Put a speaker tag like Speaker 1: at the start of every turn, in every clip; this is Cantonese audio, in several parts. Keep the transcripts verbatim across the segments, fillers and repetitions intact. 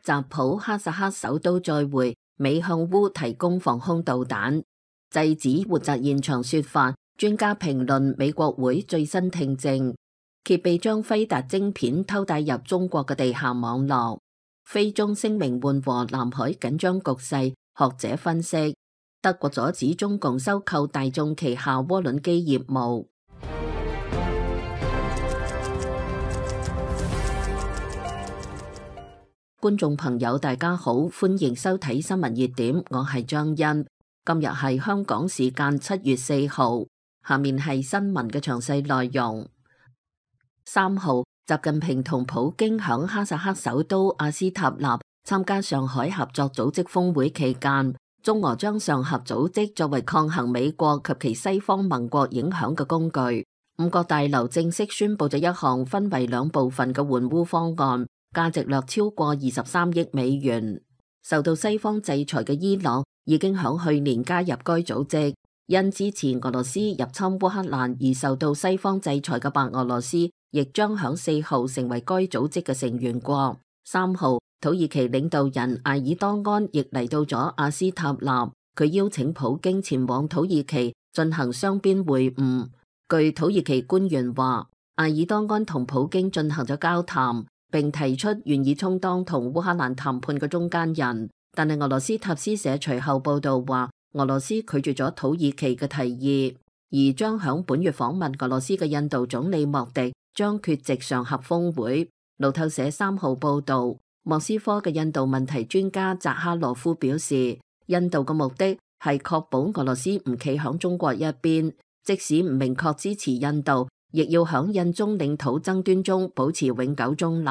Speaker 1: 習普哈薩克首都再會美向烏提供防空導彈，制止活摘現場說法。專家評論美國會最新聽證，揭秘將輝達晶片偷帶入中國嘅地下網絡。菲中聲明緩和南海緊張局勢，學者分析，德國阻止中共收購大眾旗下渦輪機業務。觀眾朋友大家好，歡迎收睇新聞熱點，我係張欣。今日係香港時間七月四號，下面係新聞嘅詳細內容。三號，習近平同普京響哈薩克首都阿斯塔納參加上海合作組織峰會期間，中俄將上合組織作為抗衡美國及其西方盟國影響嘅工具。五角大樓正式宣布咗一項分為兩部分嘅援烏方案，價值略超過二十三億美元。受到西方制裁嘅伊朗已經響去年加入該組織，因支持俄羅斯入侵烏克蘭而受到西方制裁嘅白俄羅斯，亦將響四號成為該組織嘅成員國。三號，土耳其領導人埃爾多安亦嚟到咗阿斯塔納，佢邀請普京前往土耳其進行雙邊會晤。據土耳其官員話，埃爾多安同普京進行咗交談，並提出願意充當同烏克蘭談判嘅中間人，但係俄羅斯塔斯社隨後報道話，俄羅斯拒絕咗土耳其嘅提議，而將響本月訪問俄羅斯嘅印度總理莫迪將缺席上合峰會。路透社三號報道，莫斯科嘅印度問題專家扎哈羅夫表示，印度嘅目的係確保俄羅斯唔企響中國一邊，即使唔明確支持印度，亦要響印中領土爭端中保持永久中立。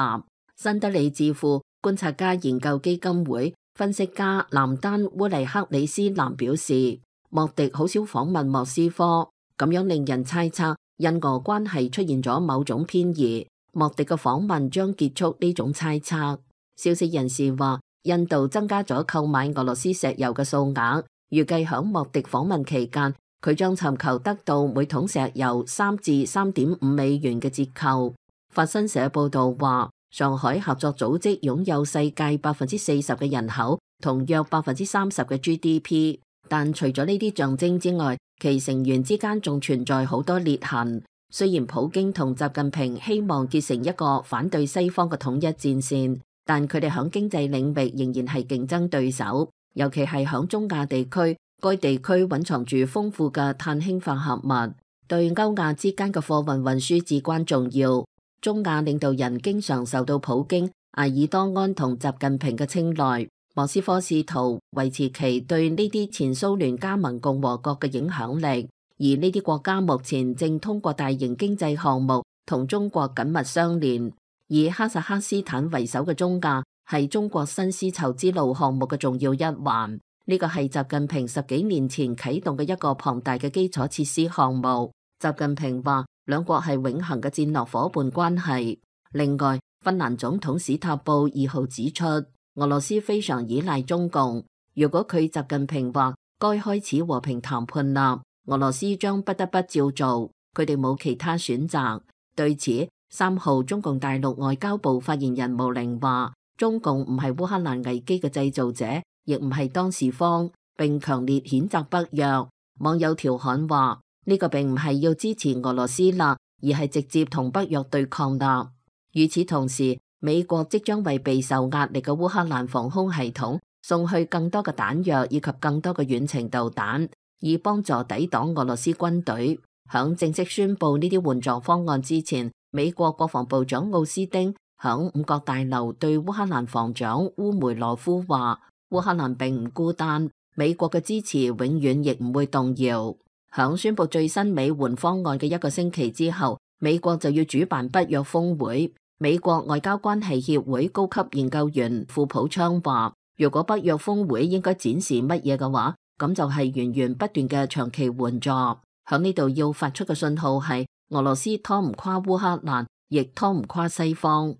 Speaker 1: 新德里智庫觀察家研究基金會分析家南丹烏黎克里斯南表示，莫迪好少訪問莫斯科，咁樣令人猜測印俄關係出現咗某種偏移。莫迪嘅訪問將結束呢種猜測。消息人士話，印度增加咗購買俄羅斯石油嘅數額，預計響莫迪訪問期間，佢將尋求得到每桶石油三至三點五美元嘅折扣。法新社報道話，上海合作組織擁有世界百分之四十嘅人口同約百分之三十嘅 G D P， 但除咗呢啲象徵之外，其成員之間仲存在好多裂痕。雖然普京同習近平希望結成一個反對西方嘅統一戰線，但佢哋響經濟領域仍然係競爭對手，尤其係響中亞地區。該地區蘊藏住豐富嘅碳氫化合物，對歐亞之間嘅貨運運輸至關重要。中亞領導人經常受到普京、埃爾多安同習近平嘅青睞。莫斯科試圖維持其對呢啲前蘇聯加盟共和國嘅影響力，而呢啲國家目前正通過大型經濟項目同中國緊密相連。以哈薩克斯坦為首嘅中亞係中國新絲綢之路項目嘅重要一環。呢個係習近平十幾年前啟動嘅一個龐大嘅基礎設施項目。習近平話，兩國係永恆嘅戰略夥伴關係。另外，芬蘭總統史塔布二號指出，俄羅斯非常依賴中共。如果佢習近平話該開始和平談判啦，俄羅斯將不得不照做，佢哋冇其他選擇。對此，三號中共大陸外交部發言人毛寧話，中共唔係烏克蘭危機嘅製造者，亦唔係當事方，並強烈譴責北約。網友調侃話，呢個並唔係要支持俄羅斯啦，而係直接同北約對抗啦。與此同時，美國即將為備受壓力嘅烏克蘭防空系統送去更多嘅彈藥以及更多嘅遠程導彈，以幫助抵擋俄羅斯軍隊。響正式宣布呢啲援助方案之前，美國國防部長奧斯汀響五角大樓對烏克蘭防長烏梅羅夫話，烏克蘭並唔孤單，美國嘅支持永遠亦唔會動搖。響宣布最新美援方案嘅一個星期之後，美國就要主辦北約峰會。美國外交關係協會高級研究員庫普昌話，如果北約峰會應該展示乜嘢嘅話，咁就係源源不斷嘅長期援助。響呢度要發出嘅信號係，俄羅斯拖唔垮烏克蘭，亦拖唔垮西方。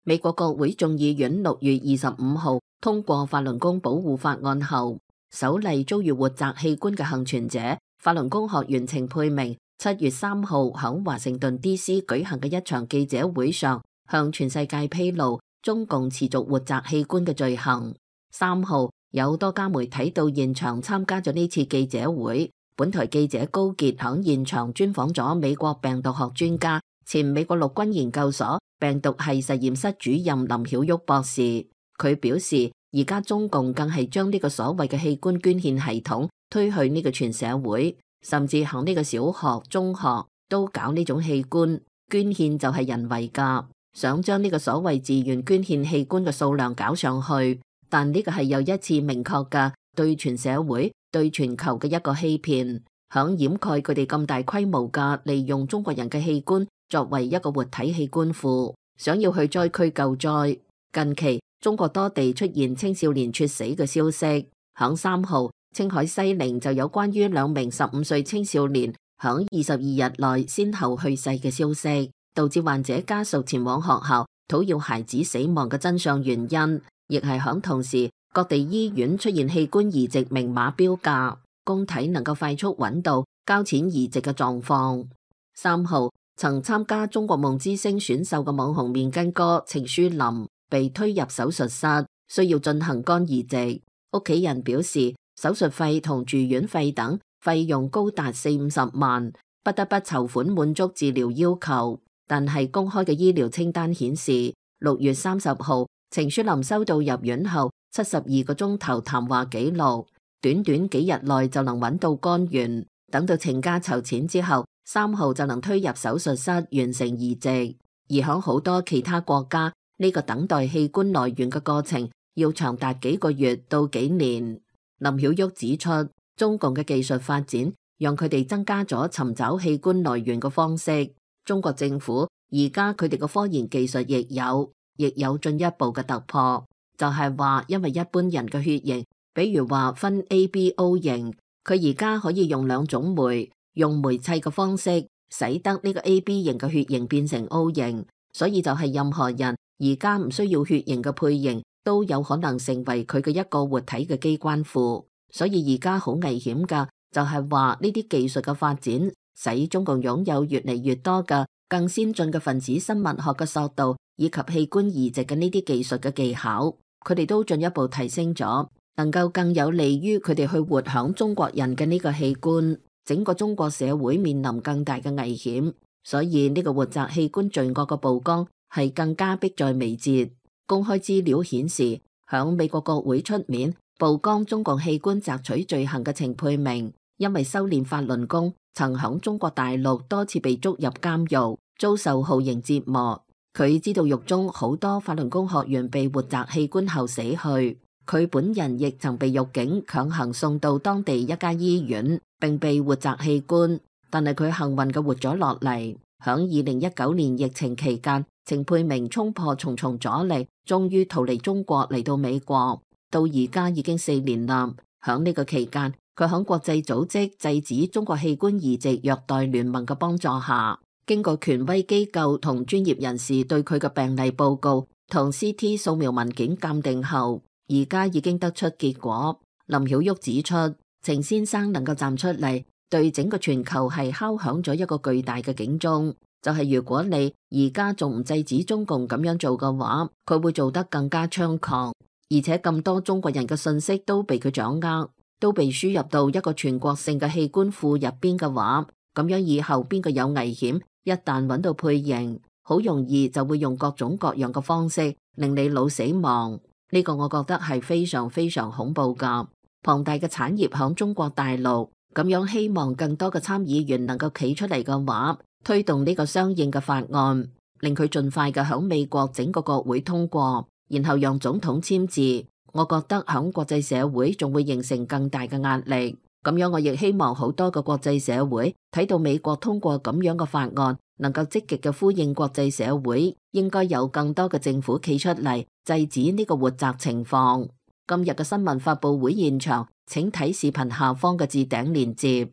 Speaker 1: 美國國會眾議院六月二十五號通過法輪功保護法案後，首例遭遇活摘器官嘅幸存者法輪功學員程佩明，七月三號響華盛頓 D C 舉行嘅一場記者會上向全世界披露中共持續活摘器官嘅罪行。三號有多家媒體到現場參加咗呢次記者會。本台記者高傑響現場專訪咗美國病毒學專家、前美國陸軍研究所病毒系實驗室主任林曉旭博士。佢表示，而家中共更係將呢個所謂嘅器官捐獻系統推去呢個全社會，甚至響呢個小學、中學都搞呢種器官捐獻，就係人為噶，想將呢個所謂自願捐獻器官嘅數量搞上去。但呢個係又一次明確嘅對全社會、對全球嘅一個欺騙，響掩蓋佢哋咁大規模嘅利用中國人嘅器官作為一個活體器官庫，想要去災區救災。近期中國多地出現青少年猝死嘅消息，響三號青海西寧就有關於兩名十五歲青少年響二十二日內先後去世嘅消息，導致患者家屬前往學校討要孩子死亡嘅真相原因，亦係響同時各地醫院出現器官移植明碼標價，供體能夠快速揾到交錢移植嘅狀況。三號曾參加中國夢之星選秀嘅網紅面筋哥程書林被推入手術室，需要進行肝移植。屋企人表示，手術費同住院費等費用高達四五十萬，不得不籌款滿足治療要求。但係公開嘅醫療清單顯示，六月三十號程書林收到入院後七十二個鐘頭談話記錄，短短幾日內就能揾到肝源，等到程家籌錢之後，三號就能推入手術室完成移植。而響好多其他國家，呢個等待器官來源嘅過程要長達幾個月到幾年。林曉旭指出，中共嘅技術發展讓佢哋增加咗尋找器官來源嘅方式。中國政府而家佢哋嘅科研技術亦有亦有進一步嘅突破，就係話因為一般人嘅血型，比如話分 A B O 型，佢而家可以用兩種酶，用酶砌嘅方式使得呢個 A B 型嘅血型變成 O 型，所以就係任何人而家唔需要血型嘅配型都有可能成為佢嘅一個活體嘅機關庫。所以而家好危險噶，就係話呢啲技術嘅發展使中共擁有越嚟越多嘅更先進嘅分子生物學嘅索道以及器官移植嘅呢啲技術嘅技巧，佢哋都進一步提升咗，能夠更有利於佢哋去活響中國人嘅呢個器官。整個中國社會面臨更大嘅危險，所以呢個活摘器官罪惡嘅曝光係更加迫在眉睫。公開資料顯示，響美國國會出面曝光中共器官摘取罪行嘅程佩明，因為修煉法輪功，曾響中國大陸多次被捉入監獄，遭受酷刑折磨。佢知道獄中好多法輪功學員被活摘器官後死去，佢本人亦曾被獄警強行送到當地一家醫院，並被活摘器官，但係佢幸運嘅活咗落嚟。響二零一九年疫情期間，程佩明衝破重重阻力，終於逃離中國嚟到美國，到而家已經四年啦。響呢個期間，佢響國際組織制止中國器官移植虐待聯盟嘅幫助下，經過權威機構同專業人士對佢嘅病例報告同 C T 掃描文件鑑定後，而家已經得出結果。林曉旭指出，程先生能夠站出嚟，對整個全球係敲響咗一個巨大嘅警鐘，就係如果你而家仲唔制止中共咁樣做嘅話，佢會做得更加猖狂，而且咁多中國人嘅信息都被佢掌握，都被輸入到一個全國性嘅器官庫入邊嘅話，咁樣以後邊個有危險，一旦揾到配型，好容易就會用各種各樣嘅方式令你腦死亡。呢個我覺得係非常非常恐怖噶。龐大嘅產業響中國大陸，咁樣希望更多嘅參議員能夠企出嚟嘅話，推動呢個相應嘅法案，令佢盡快嘅響美國整個國會通過，然後讓總統簽字。我覺得響國際社會仲會形成更大嘅壓力。咁樣我亦希望好多個國際社會睇到美國通過咁樣嘅法案，能夠積極嘅呼應國際社會應該有更多嘅政府企出嚟制止呢個活摘情況。今日嘅新聞發佈會現場，請睇視頻下方嘅置頂鏈接。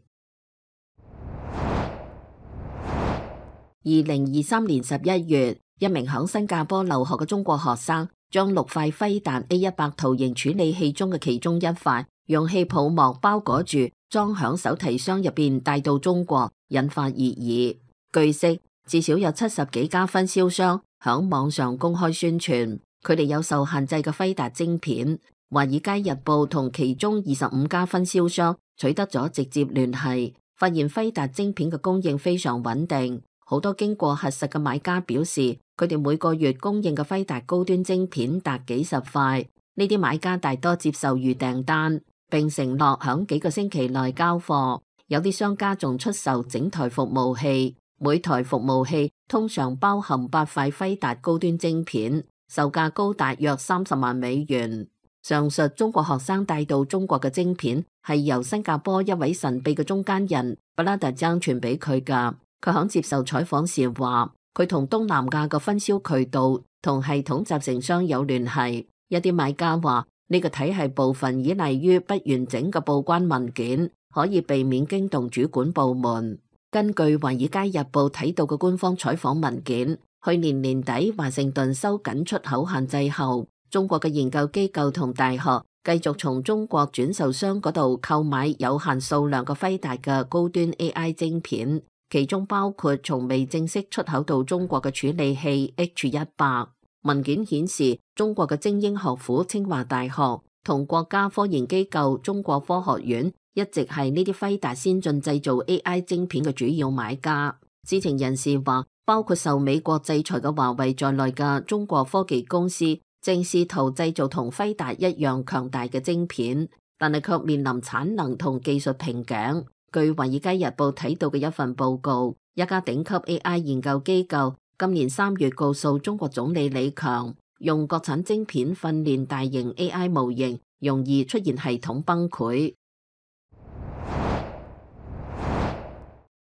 Speaker 1: 二零二三年十一月，一名響新加坡留學嘅中國學生將六塊飛彈 A 一百圖形處理器中嘅其中一塊用氣泡膜包裹住，裝響手提箱入邊帶到中國，引發熱議。據悉，至少有七十幾家分銷商響網上公開宣傳，佢哋有受限制嘅輝達晶片。華爾街日報同其中二十五家分銷商取得咗直接聯繫，發現輝達晶片嘅供應非常穩定。好多經過核實嘅買家表示，佢哋每個月供應嘅輝達高端晶片達幾十塊。呢啲買家大多接受預訂單，並承諾響幾個星期內交貨。有啲商家仲出售整台服務器，每台服務器通常包含八塊輝達高端晶片，售價高達約三十萬美元。上述中國學生帶到中國嘅晶片係由新加坡一位神秘嘅中間人布拉特爭傳俾佢㗎。佢響接受採訪時話，佢同東南亞嘅分銷渠道同系統集成商有聯繫。一啲買家話，呢個體系部分依賴於不完整嘅報關文件，可以避免驚動主管部門。根據《華爾街日報》睇到嘅官方採訪文件，去年年底華盛頓收緊出口限制後，中國嘅研究機構同大學繼續從中國轉售商嗰度購買有限數量嘅輝達嘅高端 A I 晶片，其中包括從未正式出口到中國嘅處理器 H 一百。文件顯示，中國嘅精英學府清華大學同國家科研機構中國科學院一直係呢啲輝達先進製造 A I 晶片嘅主要買家。知情人士話，包括受美國制裁嘅華為在內嘅中國科技公司正試圖製造同輝達一樣強大嘅晶片，但係卻面臨產能同技術瓶頸。據華爾街日報睇到嘅一份報告，一家頂級 A I 研究機構今年三月告訴中國總理李強，用國產晶片訓練大型 A I 模型容易出現系統崩潰。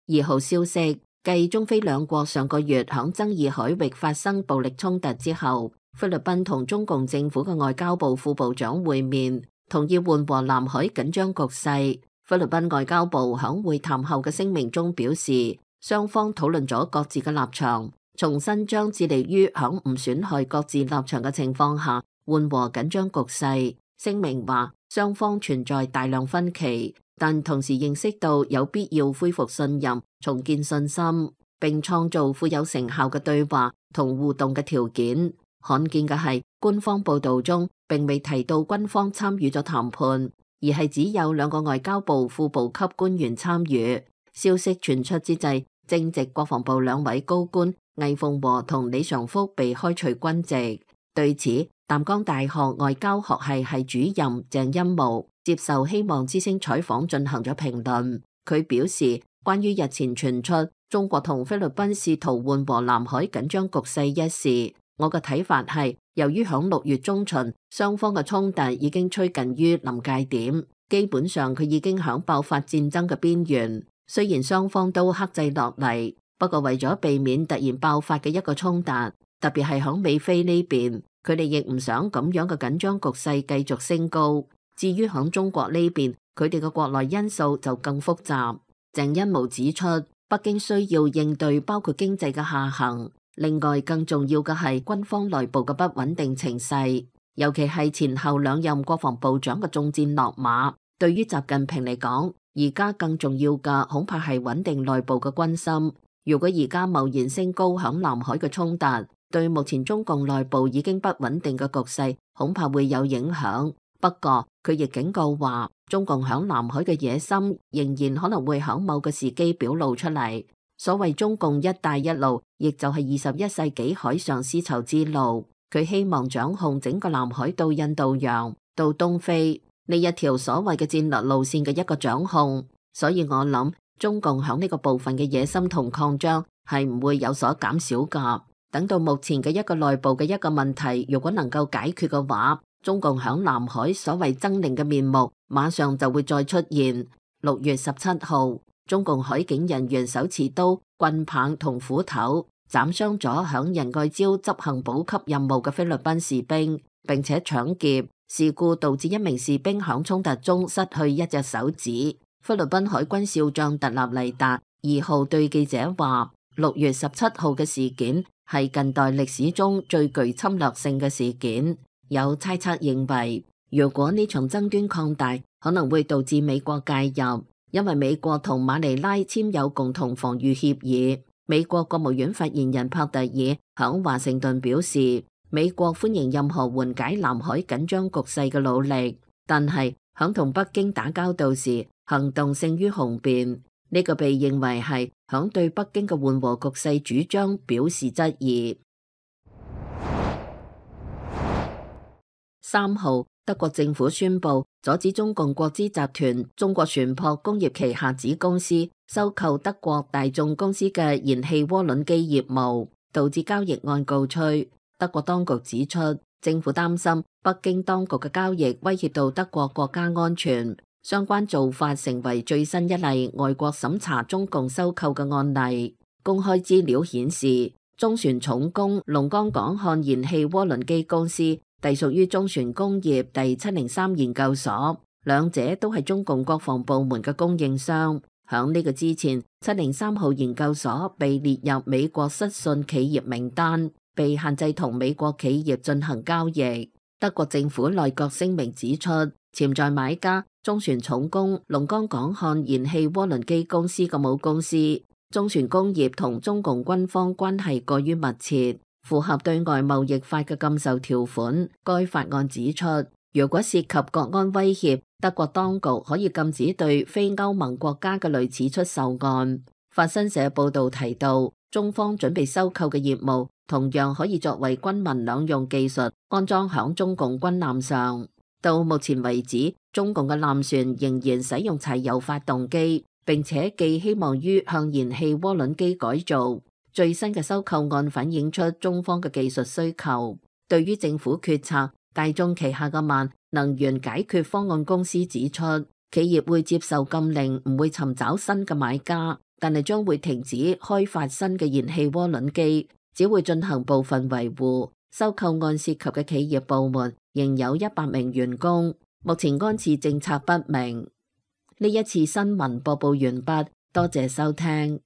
Speaker 1: 二號消息，繼中菲兩國上個月響爭議海域發生暴力衝突之後，菲律賓同中共政府嘅外交部副部長會面，同意緩和南海緊張局勢。菲律賓外交部響會談後嘅聲明中表示，雙方討論咗各自嘅立場，重新將致力於響唔損害各自立場嘅情況下緩和緊張局勢。聲明話，雙方存在大量分歧，但同時認識到有必要恢復信任、重建信心，並創造富有成效嘅對話同互動嘅條件。罕見嘅係，官方報道中並未提到軍方參與咗談判，而係只有兩個外交部副部級官員參與。消息傳出之際，正值國防部兩位高官魏鳳和同李尚福被開除軍籍。對此，淡江大學外交學系系主任鄭欽模接受希望之聲採訪進行咗評論。佢表示，關於日前傳出中國同菲律賓試圖緩和南海緊張局勢一事，我嘅睇法係，由於響六月中旬，雙方嘅衝突已經趨近於臨界點，基本上佢已經響爆發戰爭嘅邊緣。雖然雙方都克制落嚟，不過為咗避免突然爆發嘅一個衝突，特別係響美菲呢邊，佢哋亦唔想咁樣嘅緊張局勢繼續升高。至於響中國呢邊，佢哋嘅國內因素就更複雜。鄭欽模指出，北京需要應對包括經濟嘅下行，另外更重要嘅係軍方內部嘅不穩定情勢，尤其係前後兩任國防部長嘅中箭落馬。對於習近平嚟講，而家更重要嘅恐怕係穩定內部嘅軍心。如果而家貿然升高響南海嘅衝突，對目前中共內部已經不穩定嘅局勢恐怕會有影響。不過佢亦警告話，中共響南海嘅野心仍然可能會響某個時機表露出嚟。所謂中共一帶一路，亦就係二十一世紀海上絲綢之路。佢希望掌控整個南海到印度洋到東非呢一條所謂嘅戰略路線嘅一個掌控。所以我諗中共響呢個部分嘅野心同擴張係唔會有所減少噶。等到目前嘅一個內部嘅一個問題如果能夠解決嘅話，中共響南海所謂猙獰嘅面目馬上就會再出現。六月十七號，中共海警人員手持刀、棍棒同斧頭斬傷咗響仁愛礁執行補給任務嘅菲律賓士兵，並且搶劫。事故導致一名士兵響衝突中失去一隻手指。菲律賓海軍少將特納尼達二號對記者話，六月十七號嘅事件係近代歷史中最具侵略性嘅事件。有猜測認為，如果呢場爭端擴大，可能會導致美國介入，因為美國同馬尼拉簽有共同防禦協議。美國國務院發言人帕特爾響華盛頓表示，美國歡迎任何緩解南海緊張局勢嘅努力，但係響同北京打交道時，行動勝於雄辯。呢個被認為係響對北京嘅緩和局勢主張表示質疑。三號，德國政府宣布阻止中共國資集團中國船舶工業旗下子公司收購德國大眾公司嘅燃氣渦輪機業務，導致交易案告吹。德國當局指出，政府擔心北京當局嘅交易威脅到德國國家安全，相關做法成為最新一例外國審查中共收購嘅案例。公開資料顯示，中船重工龍崗港漢燃氣渦輪機公司隸屬於中船工業第七零三研究所，兩者都係中共國防部門嘅供應商。響呢個之前，七零三號研究所被列入美國失信企業名單，被限制同美國企業進行交易。德國政府內閣聲明指出，潛在買家中船重工龍崗港漢燃氣渦輪機公司嘅母公司中船工業同中共軍方關係過於密切，符合對外貿易法嘅禁售條款。該法案指出，如果涉及國安威脅，德國當局可以禁止對非歐盟國家嘅類似出售案。法新社報道提到，中方準備收購嘅業務同樣可以作為軍民兩用技術安裝響中共軍艦上。到目前為止，中共嘅艦船仍然使用柴油發動機，並且寄希望於向燃氣渦輪機改造。最新嘅收購案反映出中方嘅技術需求。對於政府決策，大眾旗下嘅萬能源解決方案公司指出，企業會接受禁令，唔會尋找新嘅買家，但係將會停止開發新嘅燃氣渦輪機，只會進行部分維護。收購案涉及嘅企業部門仍有一百名員工，目前安置政策不明。呢一次新聞播報完畢，多謝收聽。